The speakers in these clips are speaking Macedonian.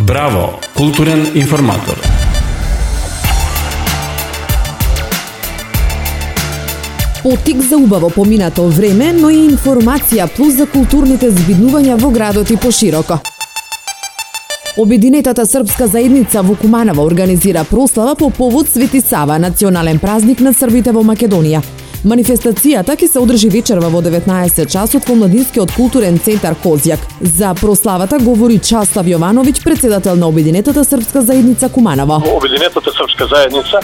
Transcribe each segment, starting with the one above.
Браво, културен информатор. Потик за убаво поминато време, но и информација плюс за културните збиднувања во градот и пошироко. Обединетата српска заедница во Куманово организира прослава по повод Свети Сава, национален празник на србите во Македонија. Манифестацијата ќе се одржи вечерва во 19 часот во Младинскиот културен центар Козјак. За прославата говори Часлав Јовановиќ, председател на Обединетата српска заедница Куманово. Обединетата српска заедница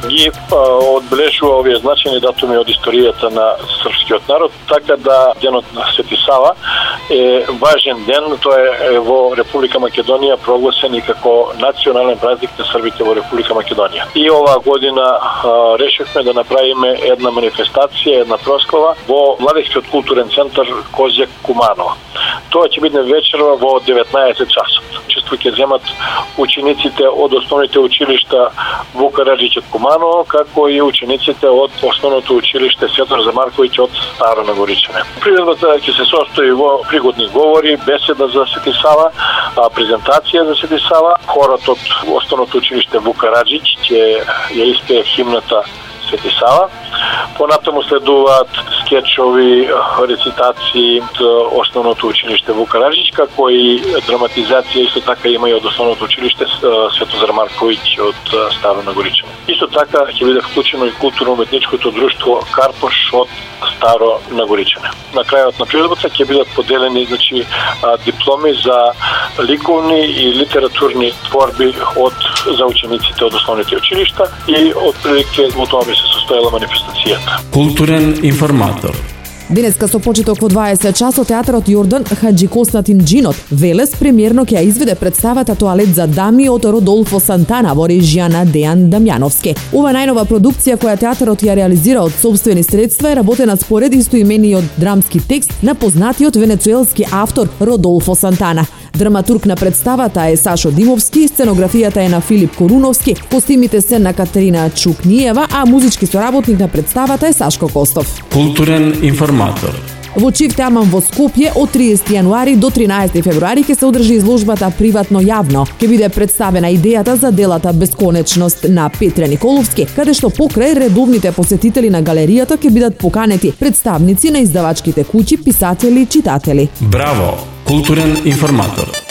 ги одбележува овие значајни датуми од историјата на српскиот народ, така да денот на Свети Сава е важен ден. Тоа е во Република Македонија прогласен и како национален празник на србите во Република Македонија. И оваа година решивме да направиме една манифестација, една прослава во Младинскиот културен центар Козјак Куманово. Тоа ќе биде вечерва во 19 часот. Учество ќе земат учениците од основните училишта Вука Раджиќ од Куманово, како и учениците од основното училиште Светозар Зармарковиќ од Старо Нагоричане. Приредбата ќе се состои во пригодни говори, беседа за Свети Сава, презентација за Свети Сава. Хорот од основното училиште Вука Раджиќ ќе ја испее химната Свети Сава. Понатаму следуваат скечови, рецитации од основното училиште Вука Раджиќ, како и драматизација исто така има и од основното училиште Светозар Марковиќ од Старо Нагоричане. Исто така ќе биде вклучено и културно-уметничкото друштво Карпош од Старо Нагоричане. На крајот на приредбата ќе бидат поделени дипломи за ликовни и литературни творби за учениците од основните училишта и отприлike во тоа би се состоела манифестацијата. Културен информатор. Денеска со почеток во 20 часот театарот Јордан Хаџи Константин Џинот Велес премиерно ќе ја изведе представата Тоалет за дами од Родолфо Сантана во режија на Дејан Дамјановски. Ова најнова продукција која театарот ја реализира од сопствени средства е работена според истоимениот драмски текст на познатиот венецуелски автор Родолфо Сантана. Драматург на представата е Сашо Димовски, сценографијата е на Филип Коруновски, костимите се на Катерина Чукниева, а музички соработник на представата е Сашко Костов. Културен информатор. Во Чиф Тамам во Скопје од 30 јануари до 13 февруари ќе се одржи изложбата Приватно јавно. Ќе биде представена идејата за делата Бесконечност на Петре Николовски, каде што покрај редовните посетители на галеријата ќе бидат поканети представници на издавачките куќи, писатели и читатели. Браво, културен информатор.